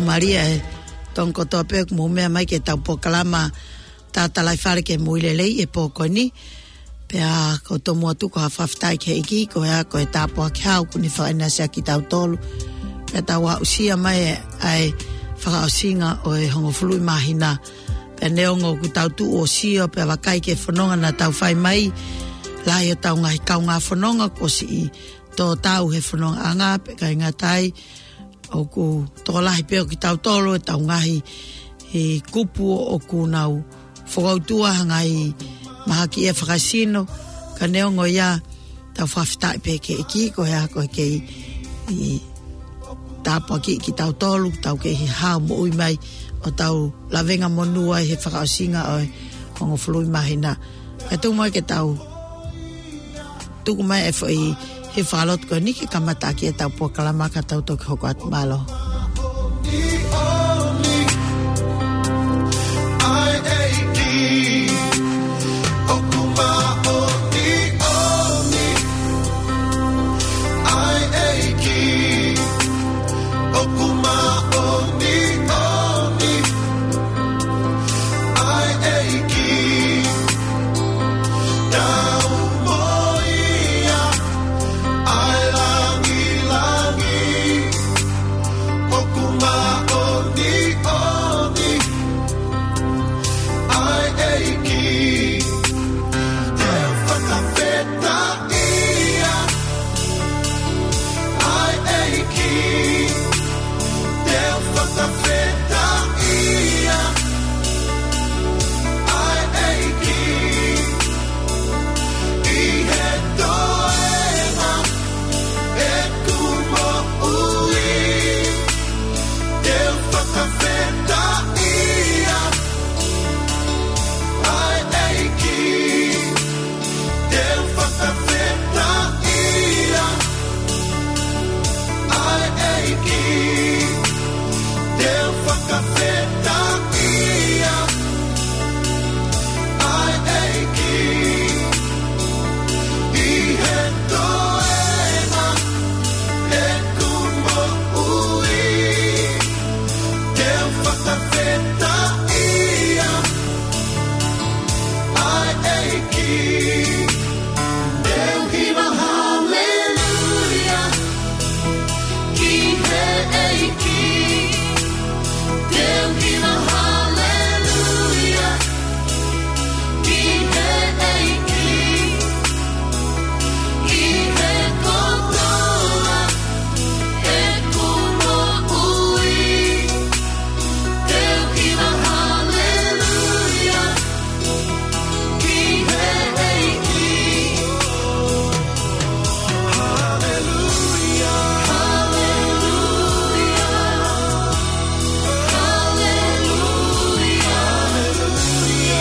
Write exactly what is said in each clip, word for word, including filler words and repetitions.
Mālie e tokoni kotoa pē ʻoku mou meʻa mai ki heʻetau polokalama Tatalaifale ki he Moʻui Lelei he pō ko eni. Pea ʻoku ou tomuʻa tuku ha fakafetaʻi ki he ʻEiki, ko ia ko e tāpuaki hau kuo ne fakaʻinasi ʻaki kitautolu. Pea tau aʻusia mai ʻa e fakaʻosinga ʻo e hongofulu māhina. Pea neongo ʻoku tau tuʻu ʻo sio pea vakai ki he fononga naʻa tau fai mai, lahi hotau ngaahi kaungā fononga kuo siʻi tō tau he fonongaʻanga, pea ʻikai ngata ai, ʻoku tokolahi pē ʻo kitautolu ʻetau ngaahi, e, kupu ʻoku nau fokoutua ha ngaahi mahaki ʻe fakaesino. Ka neongo ia, tau fakafetaʻi pē ki he ʻEiki, ko ia ko e kei, e, tāpuakiʻi kitautolu, tau kei hao moʻui mai ʻo tau lavengamonū ai he fakaʻosinga ʻo e hongofulu māhina. Kae tuku mai ke tau tuku mai e foʻi hifo fakalotu ko eni ke kamataʻaki ʻetau polokalama ka tau toki hoko atu, mālō. ʻA e ʻEiki, tau moʻui ʻa e langilangi, ʻoku māʻoniʻoni ʻa e ʻEiki, te u fakafetaʻi ia. ʻA e ʻEiki, te u fakafetaʻi ia. ʻA e ʻEiki, ʻi he toenga ʻeku moʻui, te u fakafetaʻi ia. ʻA e ʻEiki, te u fakafetaʻi ia. ʻA e ʻEiki, te u fakafetaʻi ia. ʻA e ʻEiki, ʻi he toenga ʻeku moʻui, te u fakafetaʻi ia. ʻA e ʻEiki, te u hiva haleluia ki he ʻEiki. Te u hiva haleluia ki he ʻEiki. ʻI he kotoa ʻeku moʻui, te u hiva haleluia ki he ʻEiki. Haleluia, haleluia, haleluia, haleluia.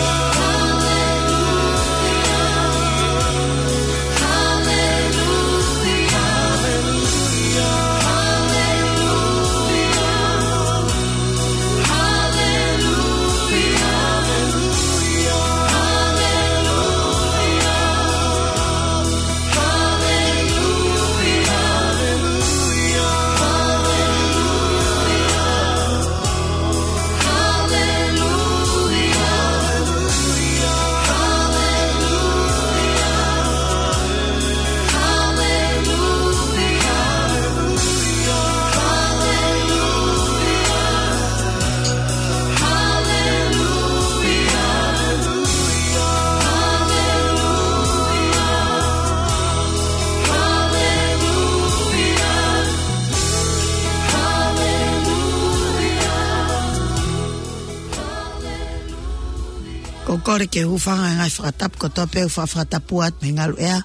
Ko e kole ke u hūfanga he ngaahi fakatapu kotoa pē ʻoku fakatapu atu mei he ngaluʻea,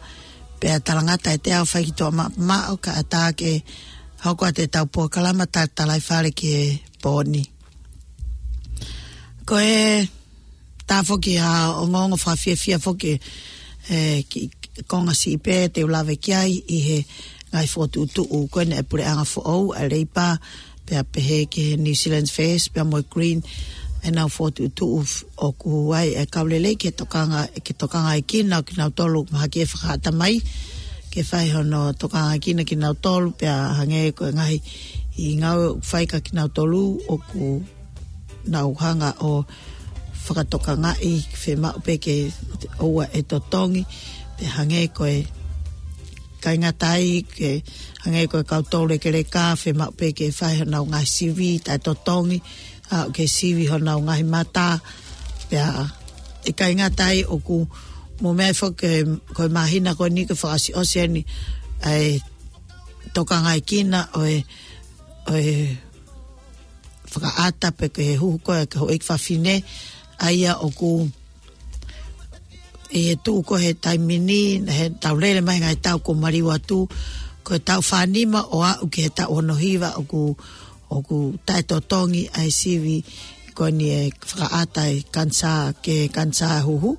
pea talangata ʻe te au fai ki tuʻa ma-, maʻu kae ʻatā ke hoko atu ʻetau polokalama Tatalaifale ki he pō ni. Ko e tā foki ha ongoongo fakafiefia foki, e, ki, ki he konga siʻi pē te u lave ki ai ʻi he ngaahi fokotuʻutuʻu ko eni ʻa e puleʻanga foʻou ʻa e Leipa, pea pehē ki he New Zealand First, pea mo e Green, ʻenau fokotuʻutuʻu f-, ʻoku ʻi ai e kau lelei ke tokanga, ke tokangaʻi kinautolu ʻoku mahaki ʻe fakaʻatamai, ke fai hono tokangaʻi kinautolu, pea hangē ko e ngaahi ʻi he ngāue ʻoku fai kia kinautolu ʻoku nau hanga ʻo fakatokangaʻi, fiemaʻu pē ke ʻoua ʻe totongi, pea hangē ko e kāinga tai, ke hangē ko e kau toulekeleka, fiemaʻu pē ke fai honau ngaahi sivi taʻetotongi, ʻa, ke sivi honau ngaahi mata, pea ʻe kāinga tai ʻoku mou meaʻi foki ko e māhina ko eni ke fakaʻosiʻosi eni ʻa e tokangaekina ʻo e, ʻo e fakaʻata pe ko e huhu ko ē ki he houʻeiki fafine, ʻa ia ʻoku ʻi he tuʻu ko ē he taimi ni, he taʻu lele mai he ngaahi taʻu kuo maliu atu, ko e taʻu fānima ʻo aʻu ki he taʻu ono hiva ʻoku, ʻoku taʻetotongi ʻa e sivi ko eni ʻe fakaʻata ʻe he kanisā, ki he kanisā huhu.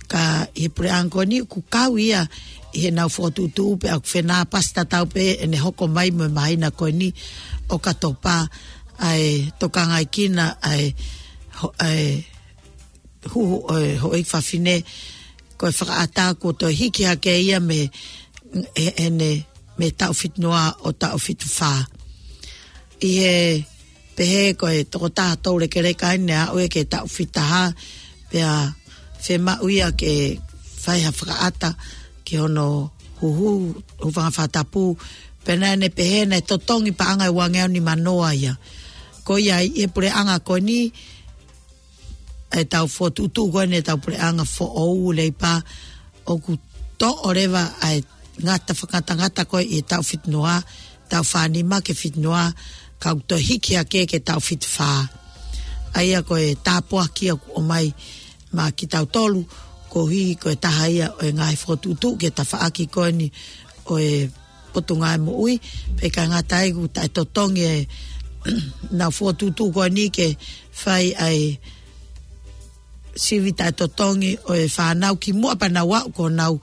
Ka ʻi he puleʻanga ko eni ʻoku kau ia ʻi heʻenau fokotuʻutuʻu pea ʻoku fenāpasi tatau pē ʻene hoko mai mo e māhina ko eni ʻOkatopa ʻa e tokangaekina ʻa e ho-, ʻa e huhu ʻo e houʻeiki fafine, ko e fakaʻata kuo toe hiki hake ia mei he, ʻene, mei he taʻu fitu noa ʻo taʻu fitu fā. ʻI he pehē ko e tokotaha toulekeleka eni ʻa ē ki he taʻu fitu taha, pea fiemaʻu ia ke fai ha fakaʻata ki hono huhu, hūfanga he fakatapu, pea naʻa ne pehē naʻe totongi paʻanga ʻe uangeau nimanoa ia. Ko ia ʻi he puleʻanga ko eni, ʻetau fokotuʻutuʻu ko eni ʻetau puleʻanga foʻou Leipa, ʻoku toʻo leva ʻa e ngata fakangatangata ko ē ʻi he taʻu fitu noa, taʻu fānima ki he fitu noa, ka ʻoku toe hiki hake ki he taʻu fitu fā. ʻA ia ko e tāpuaki ʻoku ʻomai maʻa kitautolu, koeʻuhi ko e taha ia ʻo e ngaahi fokotuʻutuʻu ki he tafaʻaki ko eni ʻo e Potungāue Moʻui, pea ʻikai ngata ai ʻoku taʻetotongi ʻenau fokotuʻutuʻu ko eni ke fai ʻa e sivi taʻetotongi ʻo e fānau kimuʻa pea nau aʻu ki honau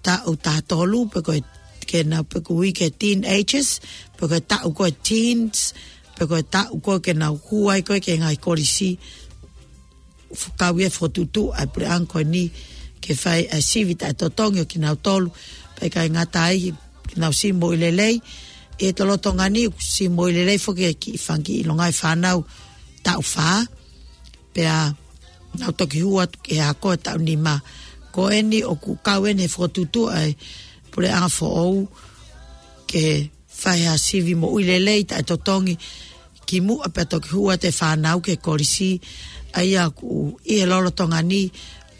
taʻu taha tolu, pe ko e, ke nau, pe ko e ui ko e teenagers, pe ko e taʻu ko ē teens, pe ko e taʻu ko ē ke nau hū ai ko ē ki he ngaahi kolisi. Kau ia fokotuʻutuʻu ʻa e puleʻanga ko eni ke fai ʻa e sivi taʻetotongi ʻo kinautolu, pea ʻikai ngata ai, ke nau sivi moʻui lelei. ʻI he lolotonga ni ʻoku sivi moʻui lelei foki e kiʻi fanga kiʻi longaʻi fānau taʻu fā, pea nau toki hū atu ki he ako e taʻu nima. Ko eni ʻoku kau eni he fokotuʻutuʻu ʻa e puleʻanga foʻou ke fai ha sivi moʻui lelei taʻetotongi kimuʻa pea toki hū atu e fānau ki he kolisi. ʻA ia ʻoku ʻi he lolotonga ni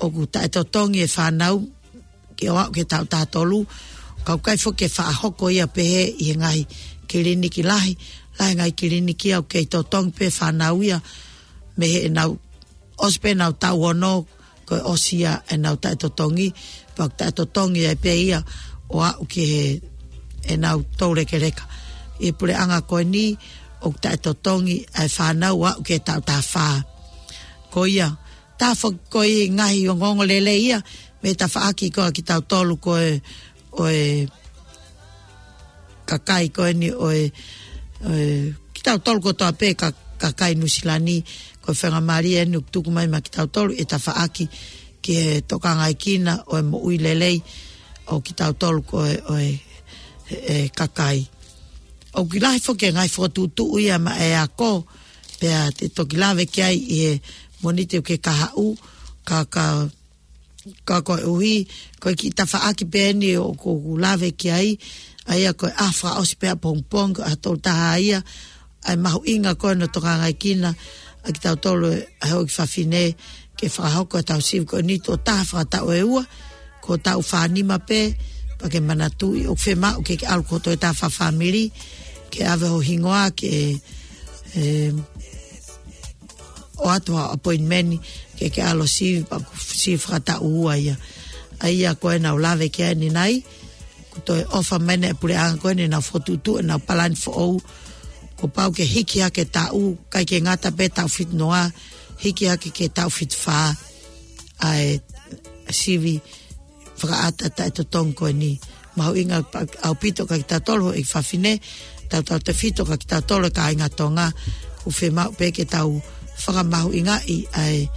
ʻoku taʻetotongi e fānau ke ʻoua ke taʻu taha tolu, ka ʻoku ʻikai foki ke faʻa hoko ia pehē ʻi he ngaahi kiliniki lahi, lahi e ngaahi kiliniki ia ʻoku kei totongi pē fānau ia mei heʻenau ʻosi pē ʻenau taʻu ono, ko e ʻosi ia ʻenau taʻetotongi, pea ʻoku taʻetotongi ai pē ia ʻo aʻu ki he ʻenau toulekeleka. ʻI he puleʻanga ko eni ʻoku taʻetotongi ʻa e fānau ʻo aʻu ki he taʻu taha fā. Ko ia, taha foki ko e ngaahi ongoongo lelei ia mei he tafaʻaki ko ē ʻa kitautolu ko ē ʻo e kakai ko eni ʻo e, ʻo e, kitautolu kotoa pē ka, kakai Nuʻusila ni, ko e faingamālie eni ʻoku tuku mai maʻa kitautolu e tafaʻaki ki he tokangaekina ʻo e moʻui lelei ʻo kitautolu ko ē ʻo e, e kakai. ʻOku lahi foki e ngaahi fokotuʻutuʻu ia maʻa e ako, pea te u toki lave ki ai ʻi he Mōnite ʻoku kahaʻu, ka, ka, ka koeʻuhi ko e kiʻi tafaʻaki pē eni ʻoku ou lave ki ai, ʻa ia ko e ʻaho fakaʻosi pē ʻapongipongi, ko e ʻaho tolu taha ia, ʻa e mahuʻinga ko ē hono tokangaekina ʻa kitautolu ʻa e houʻeiki fafine ke fakahoko ʻetau sivi ko eni, tuʻo taha fakataʻu ʻe ua, ko e taʻu fānima pē, pea ke manatuʻi ʻoku fiemaʻu ke ke ʻalu ki ho toe taha fakafāmili, ke ʻave ho hingoa, ke, e, ʻoatu ha appointment ke ke ʻalu ʻo sivi, pea ko e sivi fakataʻu ua ia. ʻA ia ko ē naʻa ku lave ki ai ʻanenai, kuo toe ʻofa mai ʻa e puleʻanga ko eni ʻenau fokotuʻutuʻu ʻenau palani foʻou, kuo pau ke hiki hake e taʻu, ʻikai ke ngata pē he taʻu fitu noa, hiki hake ki he taʻu fitu fā, ʻa e sivi fakaʻata taʻetotongi ko eni. Mahuʻinga ʻaupito kia kitautolu houʻeiki fafine, tautautefito kia kitautolu e kāinga Tonga, ʻoku fiemaʻu pē ke tau fakamahuʻingaʻi ʻa e,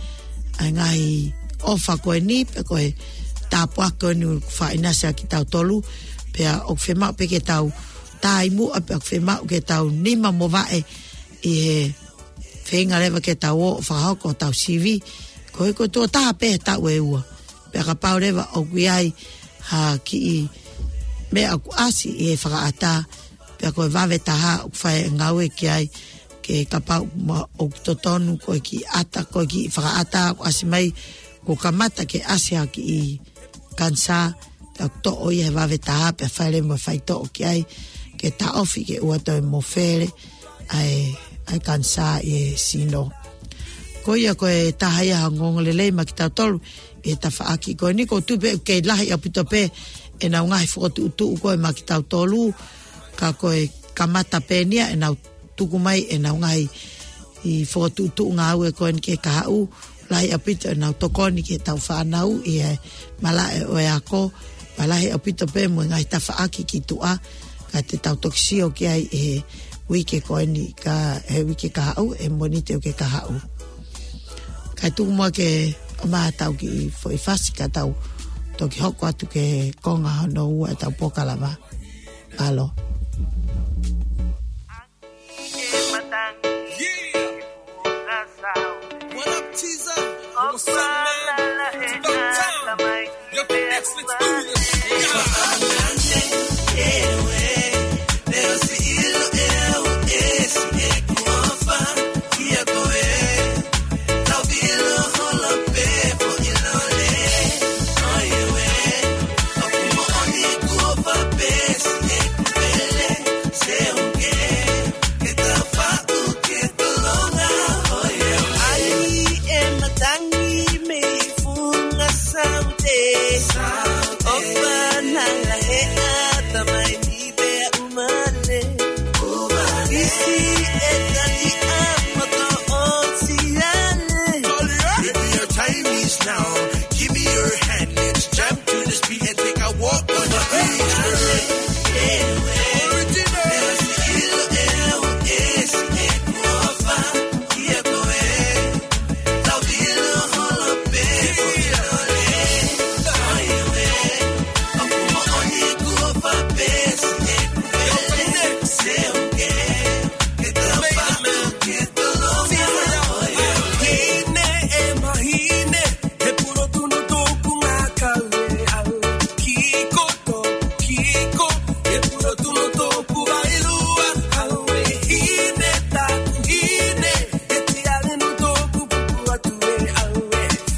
ʻa e ngaahi ʻofa ko eni, pe ko e tāpuaki ko eni ʻoku fakaʻinasi ʻaki kitautolu, pea ʻoku fiemaʻu pē ke tau taimi ʻa pea ʻoku fiemaʻu ke tau nima mo vaʻe ʻi he feinga leva ke tau ō ʻo fakahoko ʻetau sivi. Ko e ko e tuʻo taha pē he taʻu ʻe ua. Pea kapau leva ʻoku ʻi ai ha kiʻi meʻa ʻoku ʻasi ʻi he fakaʻatā, pea ko e vave taha ʻoku fai e ngāue ki ai, ke kapau ma ʻoku totonu ko e kiʻi ʻata, ko e kiʻi fakaʻatā ʻoku ʻasi mai, kuo kamata ke ʻasi ha kiʻi kanisā, pea ʻoku toʻo ia he vave taha, pea fai leva mo e faitoʻo ki ai, ke taʻofi ke ʻoua toe mofele ʻa e, ʻa e kanisā ʻi he sino. Ko ia ko e taha ia ha ongoongo lelei maʻa kitautolu ʻi he tafaʻaki ko eni. ʻOku ou tui pē ʻoku kei lahi ʻaupito pē ʻenau ngaahi fokotuʻutuʻu ko ē maʻa kitautolu, ka ko e kamata pē eni ia ʻenau tuku mai ʻenau ngaahi fokotuʻutuʻu ngāue ko eni ki he kahaʻu, lahi ʻaupito ʻenau tokoni ki heʻetau fānau ʻi he malaʻe ʻo e ako, pea lahi ʻaupito pē mo e ngaahi tafaʻaki ki tuʻa, ka te tau toki sio ki ai ʻi he uike ko eni ka, he uike kahaʻu, he Mōnite uike kahaʻu. Kae tuku muʻa ke ʻomai haʻatau kiʻi foʻi fasi ka tau toki hoko atu ki he konga hono ua ʻetau polokalama. Mālō. What up, Teaser? What's up, man? It's about time. Yo, let's, let's do this. Yeah. Baby, your time is now. Give me your hand, let's jump to the speed and take a walk on the beach, girl. Original.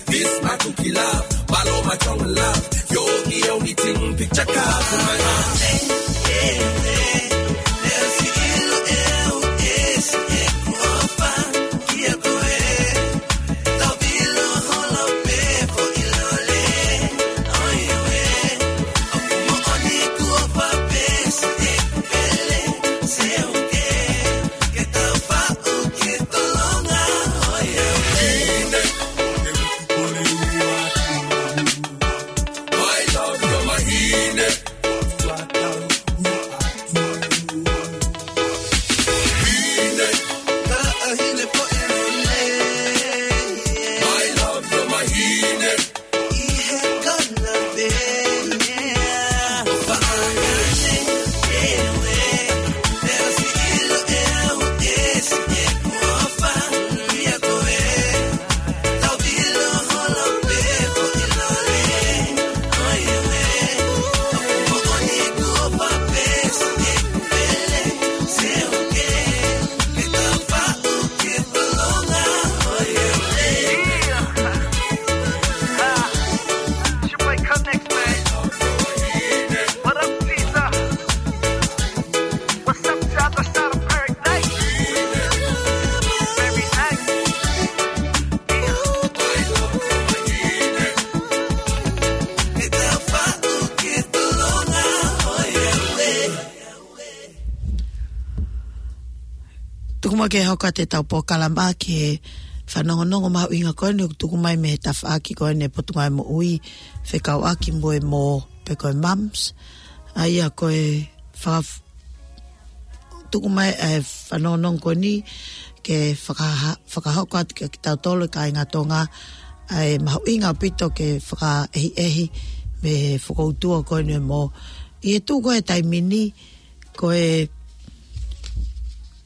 This my cookie love, follow my jungle love. You're the only thing, picture card for my heart. Tuku muʻa ke hoko atu ʻetau polokalama ki he fanongonongo mahuʻinga ko eni ʻoku tuku mai mei he tafaʻaki ko eni ʻa e Potungāue Moʻui fekauʻaki mo e mō pe ko e mumps. ʻA ia ko e faka-, tuku mai ʻa e fanongonongo ko eni ke fakaha-, fakahoko atu kia kitautolu e kāinga Tonga ʻa e mahuʻinga ʻaupito ke fakaʻehiʻehi mei he fokoutua ko eni ʻo e mō. ʻI he tuʻu ko ē he taimi ni, ko e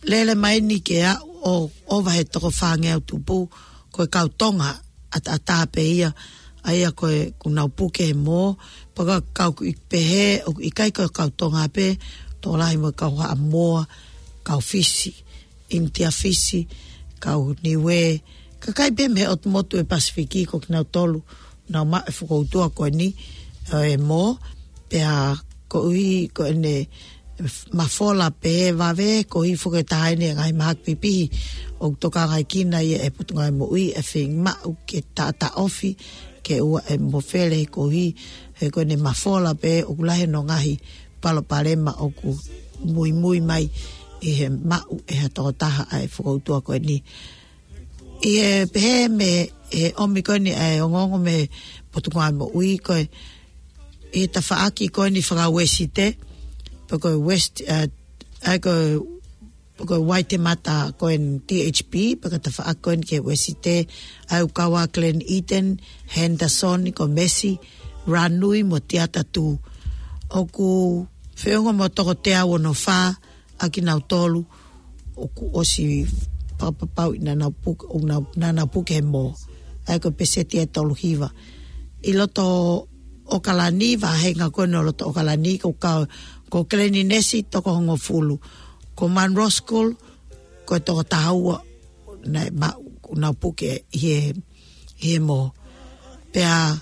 lele mai eni ke aʻu ʻo ʻova he toko fāngeau tupu, ko e kau Tonga ʻataʻatā pē ia, ʻa ia ko e ʻoku nau puke he mō, pea ko e kau ʻoku ʻi pehē, ʻoku ʻikai ko e kau Tonga pē, tokolahi mo e kau Haʻamoa, kau Fisi, ʻInitia Fisi, kau Niuē, kakai pē mei he ʻotu motu ʻo e Pasifiki, ko kinautolu, nau maʻu e fokoutua ko eni, ʻo e mō, pea koeʻuhi ko ʻene mafola pē he vave, koeʻuhi foki ʻe taha eni e ngaahi mahaki pipihi ʻoku tokangaʻi kinaua ʻe he Potungāue Moʻui e feinga maʻu ke taʻataʻofi, ke ʻoua ʻe mofele, koeʻuhi he ko ʻene mafola pē ʻoku lahi hono ngaahi palopalema ʻoku muimui mai ʻi he maʻu ʻe ha tokotaha ʻa e fokoutua ko eni. ʻI he pehē mei he ʻomi ko eni ʻa e ongoongo mei he Potungāue Moʻui, ko e ʻi he tafaʻaki ko eni faka-Uēsite, pe ko e West, ʻa, ʻa ko e, pe ko e Waitemata ko eni T H P, pe ko e tafaʻaki ko eni ki he Uēsite, ʻa ia ʻoku kau ai Glen Eden, Henderson, ko Mesi, Ranui mo Tiata Tū. ʻOku feʻunga mo e toko teau ono fā ʻa kinautolu ʻoku ʻosi fakapapauʻi naʻa nau puke, ʻo nau, naʻa nau puke he mō. ʻA ia ko e peseti ʻe tolu hiva. ʻI loto ʻOkalani, vāhenga ko eni ʻo loto ʻOkalani, ko e kau, ko Glenines toko hongofulu. Ko Munroe School, ko e toko taha ua naʻe maʻu, ʻoku nau puke ʻi he, ʻi he mō. Pea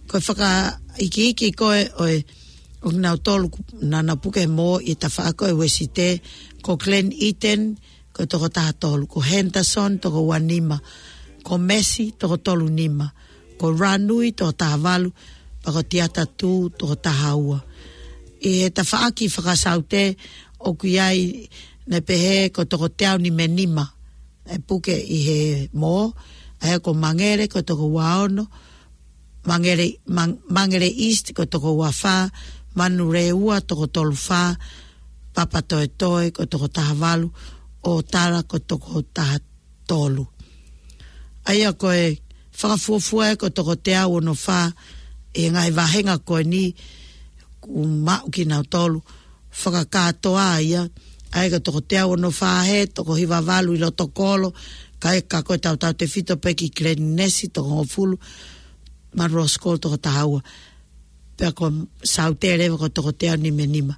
ko e fakaikiiki ko ē ʻo e, ʻo kinautolu naʻa nau puke he mō ʻi he tafaʻaki ko ē Uēsite, ko Glen Eden, ko e toko taha tolu, ko Henderson, toko ua nima, ko Mesi, toko tolu nima, ko Ranui, toko taha valu, pea ko Tiata Tū, toko taha ua. ʻI he tafaʻaki faka-Saute, ʻoku ʻi ai naʻe pehē ko e toko teau nima nima ʻe puke ʻi he mō, ʻa ia ko Mangere, ko e toko ua ono, Mangere, Mang-, Mangere East ko e toko ua fā, Manurewa toko tolu fā, Papatoetoe ko e toko taha valu, ʻOtara ko e toko taha tolu. ʻA ia ko e fakafuofua ē ko e toko teau ono fā ʻi he ngaahi vāhenga ko eni ʻoku maʻu kinautolu, fakakātoa ia, ʻa ia ko e toko teau ono fā he, toko hiva valu ʻi loto kolo, kae ʻikai ko e tautautefito pē ki Glenines toko hongofulu, Munroe School toko taha ua. Pea ko Saute leva ko e toko teau nima nima.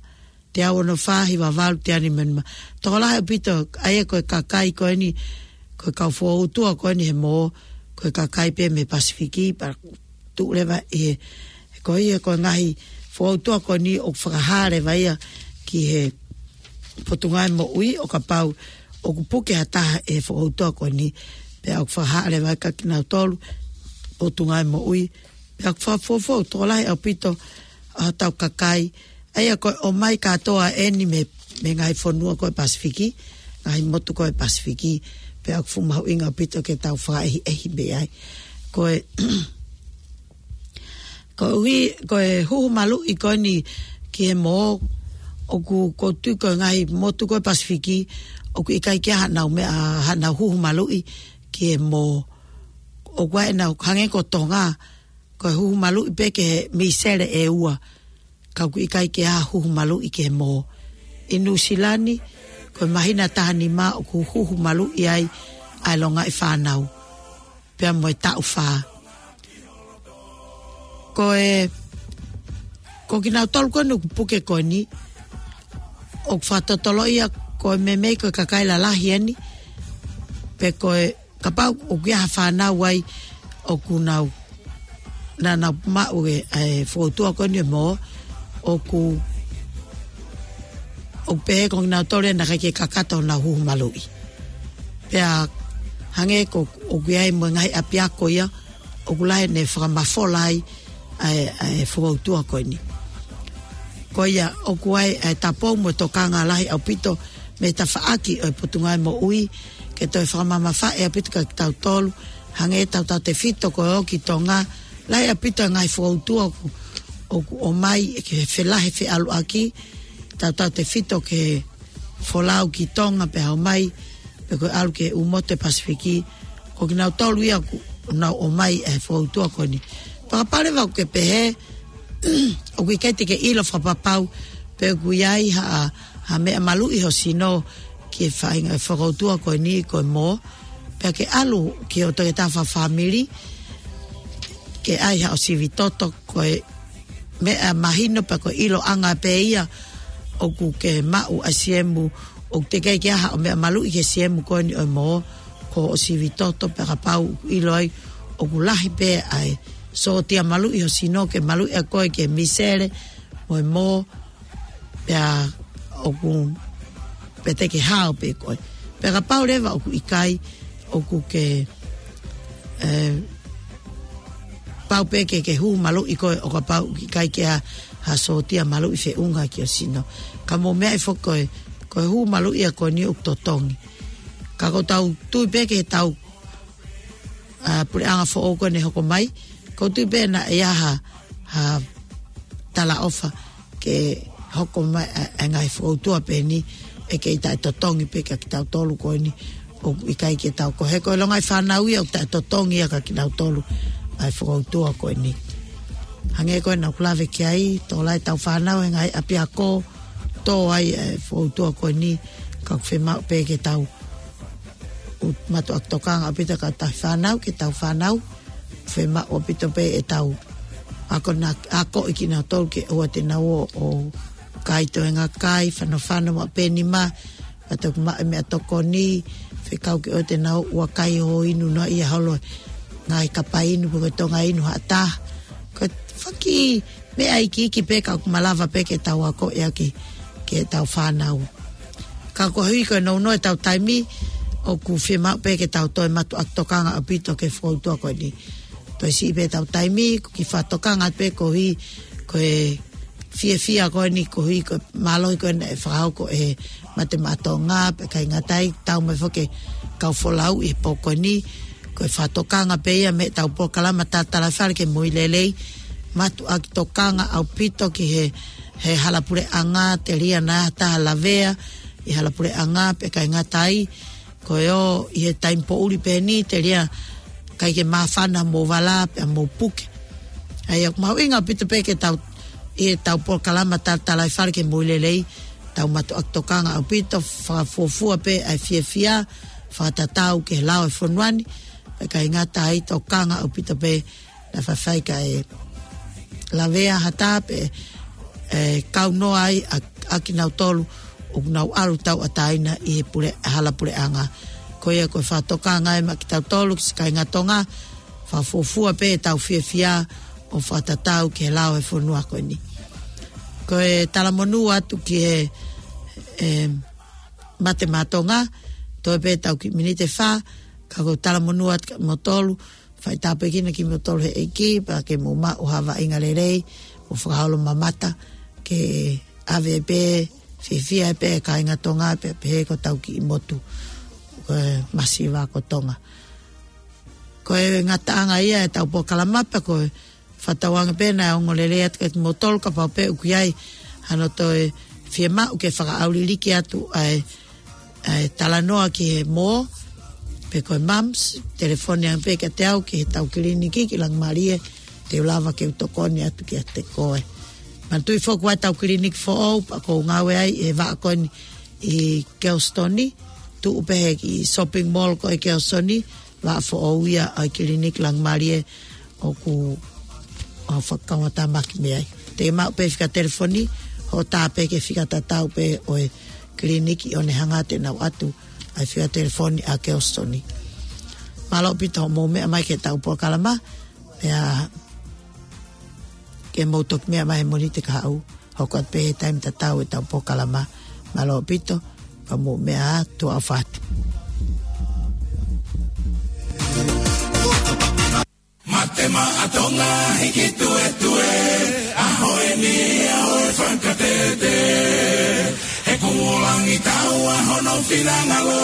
Teau ono fā, hiva valu, teau nima nima. Tokolahi ʻaupito, ʻa ia ko e kakai ko eni, ko e kau fokoutua ko eni he mō, ko e kakai pē mei he Pasifiki, pea tuʻu leva ʻi he, ko ia ko e ngaahi fokoutua ko eni ʻoku fakahā leva ia ki he Potungāue Moʻui ʻo kapau ʻoku puke ha taha ʻe he fokoutua ko eni, pea ʻoku fakahā leva kia kinautolu Potungāue Moʻui, pea ʻoku fakafoʻou tokolahi ʻaupito ʻa hotau kakai, ʻa ia ko e ʻomai kātoa eni mei, mei he ngaahi fonua ko ē Pasifiki, ngaahi motu ko ē Pasifiki, pea ʻoku fuʻu mahuʻinga ʻaupito ke tau fakaʻehiʻehi mei ai. Ko e, koeʻuhi, ko e huhu maluʻi ko eni ki he mō, ʻoku, ʻoku ou tui ko e ngaahi motu ko ē Pasifiki, ʻoku ʻikai ke ʻi ai haʻanau meʻa, haʻanau huhu maluʻi ki he mō. ʻOku ʻi ai ʻenau, hangē ko Tonga, ko e huhu maluʻi pē ki he misele ʻe ua, ka ʻoku ʻikai ke ʻi ai ha huhu maluʻi ki he mō. ʻI Nuʻusila ni, ko e māhina taha nima ʻoku huhu maluʻi ai ʻa e longaʻi fānau, pea mo e taʻu fā. Ko e, ko kinautolu ko eni ʻoku puke ko eni, ʻoku fakatotoloʻi ia ko e meimei ko e kakai lalahi eni, pe ko e kapau ʻoku ʻi ai ha fānau ai ʻoku nau, naʻa nau maʻu e, e fokoutua ko eni he mō, ʻoku, ʻoku pehē ko kinautolu ia naʻe ʻikai ke kakato honau huhu maluʻi. Pea hangē ko ʻoku ʻi ai mo e ngaahi ʻapiako ia, ʻoku lahi ʻene fakamafola ai ʻa e, ʻa e fokoutua ko eni. Ko ia ʻoku ʻi ai e tapou mo e tokanga lahi ʻaupito mei he tafaʻaki ʻo e Potungāue Moʻui, ke toe fakamamafaʻi ʻaupito kia kitautolu, hangē tautautefito ko ē ʻo ki Tonga, lahi ʻaupito e ngaahi fokoutua ʻoku, ʻoku ʻomai ke felahe feʻaluʻaki, tautautefito ke folau ki Tonga pea ʻomai, pe ko e ʻalu ki he ʻū motu ʻo e Pasifiki, ko kinautolu ia ʻoku nau ʻomai e fokoutua ko eni. Fakapale vau ke pehē, ʻoku ʻikai te ke ʻilo fakapapau, pe ʻoku ʻi ai ha ha meʻa maluʻi ho sino ki he faʻahinga e fokoutua ko eni ko e mō, pea ke ʻalu ki hoʻo toketā fakafāmili ke ʻai haʻo sivi toto. Ko e meʻa mahino pea ko e ʻiloʻanga pē ia ʻoku ke maʻu ʻa e siemu, ʻoku teʻeki ai ke ʻi ai haʻo meʻa maluʻi ki he siemu ko eni ʻo e mō, ko hoʻo sivi toto pea kapau ʻoku ʻilo ai ʻoku lahi pē ʻa e sōtia maluʻi ho sino ke maluʻi ʻa koe ki he misele mo e mō, pea ʻoku pē te ke hao pē koe. Pea kapau leva ʻoku ʻikai, ʻoku ke, e, pau pē ke ke hū maluʻi koe ʻo kapau ʻoku ʻikai ke ʻi ai ha sōtia maluʻi feʻunga ki ho sino. Ka mou meaʻi foki ko e, ko e hū maluʻi ia ko eni ʻoku totongi. Ka ʻoku tau tui pē ke tau, a, puleʻanga foʻou ko eni hoko mai, ʻoku ou tui pē naʻe ʻi ai ha, ha talaʻofa ke hoko mai ʻa, ʻa e ngaahi fokoutua pē eni ʻe kei taʻetotongi pē kia kitautolu ko eni ʻoku ʻikai ke tau ko he ko e longa ʻi fānau ia ʻoku taʻetotongi ia kia kitautolu ʻa e fokoutua ko eni. Hangē ko ena ʻoku lave ki ai, tō lai ʻetau fānau he ngaahi ʻapiako, tō ai e fokoutua ko eni, ka ʻoku fiemaʻu pē ke tau ʻo mātuʻaki tokanga ʻaupito ki heʻetau fānau, ki heʻetau fānau. Fiemaʻu ʻaupito pē ʻetau akoʻi kinautolu ke ʻoua te nau ō ʻo kai toenga kai, fanofano maʻu pē nima, ka toki maʻu e meʻatokoni, fekau ke ʻoua te nau ō ʻo kai ʻo inu noa ia holo ngaahi kapa inu pe ko e tonga inu ha taha. Ko e foʻi meʻa iiki pē ka ʻoku malava pē ke tau akoʻi ʻaki ki heʻetau fānau. Ka koeʻuhi ko e nounou ʻetau taimi, ʻoku fiemaʻu pē ke tau toe mātuʻaki tokanga ʻaupito ki he fokoutua ko eni. Toe siʻi pē ʻetau taimi, ʻoku ou kiʻi fakatokanga pē koeʻuhi ko e fiefia ko eni, koeʻuhi ko e mālohi ko eni ʻe fakahoko ʻe he Mate Maʻa Tonga, pea ʻikai ngata ai, tau mai foki e kau folau ʻi he pō ko eni, ko e fakatokanga pē ia mei heʻetau polokalama Talatalaifale ki he Moʻui Lelei, mātuʻaki tokanga ʻaupito ki he, he hala puleʻanga, telia naʻa ha taha lavea ʻi he hala puleʻanga, pea ʻikai ngata ai, ko e ō ʻi he taimi poʻuli pē eni, telia ʻikai ke māfana mo vala pea mo puke. ʻA ia ʻoku mahuʻinga ʻaupito pē ke tau, ʻi heʻetau polokalama Talatalaifale ki he Moʻui Lelei, tau mātuʻaki tokanga ʻaupito, fakafuofua pē ʻa e fiefia, fakatatau ki he lao ʻo e fonua ni, pea ʻikai ngata ai, tokanga ʻaupito pē naʻa faifai kae lavea ha taha pe, e, kaunoa ai ʻa, ʻa kinautolu ʻoku nau ʻalu tauʻatāina ʻi he pule, hala puleʻanga. Ko ia ko e fakatokanga ia maʻa kitautolu ki siʻi kāinga Tonga, fakafuofua pē ʻetau fiefia ʻo fakatatau ki he lao ʻo e fonua ko eni. Ko e talamonū atu ki he, e, Mate Maʻa Tonga, toe pē ʻetau kiʻi miniti ʻe fā, ka ko e talamonū atu kia moutolu, fai tāpuekina kimoutolu ʻe he ʻEiki, pea ke mou maʻu ha vaʻinga lelei, ʻo fakaholo mamata, ke ʻave pē, fiefia pē kāinga Tonga, pea pehē ko hotau kiʻi motu, ko e masiva ko Tonga. Ko e ngataʻanga ia ʻetau polokalama pea ko e fakatauange pē naʻe ongo lelei atu kia kimoutolu kapau pē ʻoku ʻi ai hano toe fiemaʻu ke fakaʻauliliki atu ʻa e, ʻa e talanoa ki he mō, pe ko e mumps, telefoni ange pē kiate au ki heʻetau kiliniki ki Langimalie, te u lava ke u tokoni atu kiate koe. Manatuʻi foki ʻoku ʻi ai ʻetau kiliniki foʻou, pea ʻoku ou ngāue ai ʻi he vaʻa ko eni ʻi Kelsitoni, tuʻu pē he kiʻi shopping mall ko ē ʻi Kelsitoni, vaʻa foʻou ia ʻa e kiliniki Langimalie ʻoku ou fakakaungātāmaki mei ai. Te ke maʻu pē fika telefoni, hoʻo tā pē ki he fika tatau pē ʻo e kiliniki ʻo ne hanga ʻo ʻoatu ʻa e fika telefoni ʻa Kelsitoni. Mālō ʻaupito hoʻomou meʻa mai ki heʻetau polokalama, pea ke mou toki meʻa mai he Mōnite kahaʻu. Hoko atu pē he taimi tatau ʻetau polokalama. Mālō ʻaupito, ka mou meʻa ā, tuʻa ʻofa atu. Mate Maʻa Tonga hiki tuetue, ʻaho eni ʻaho e fakatete. He kumu langi taua hono finangalo,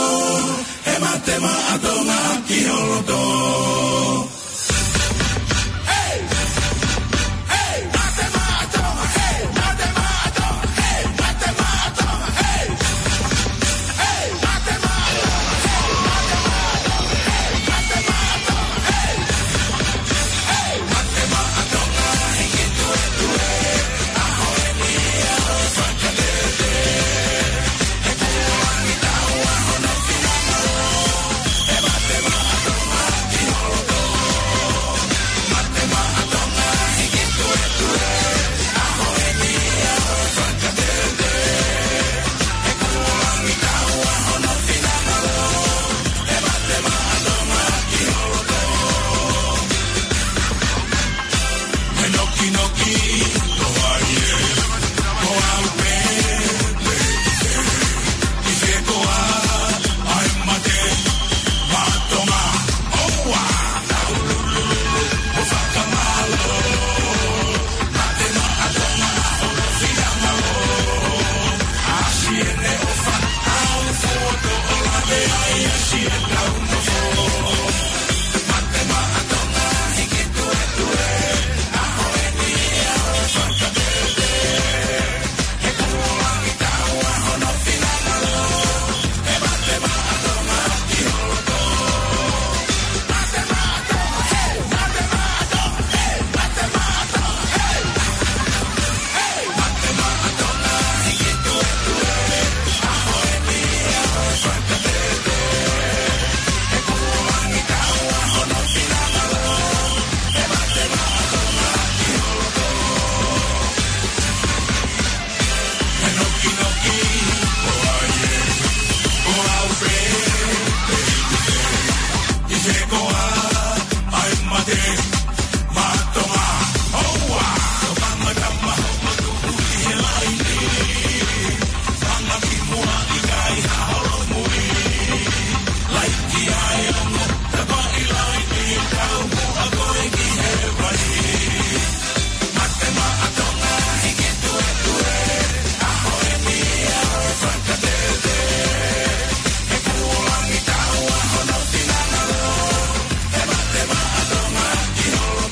he Mate Maʻa Tonga ki ho loto.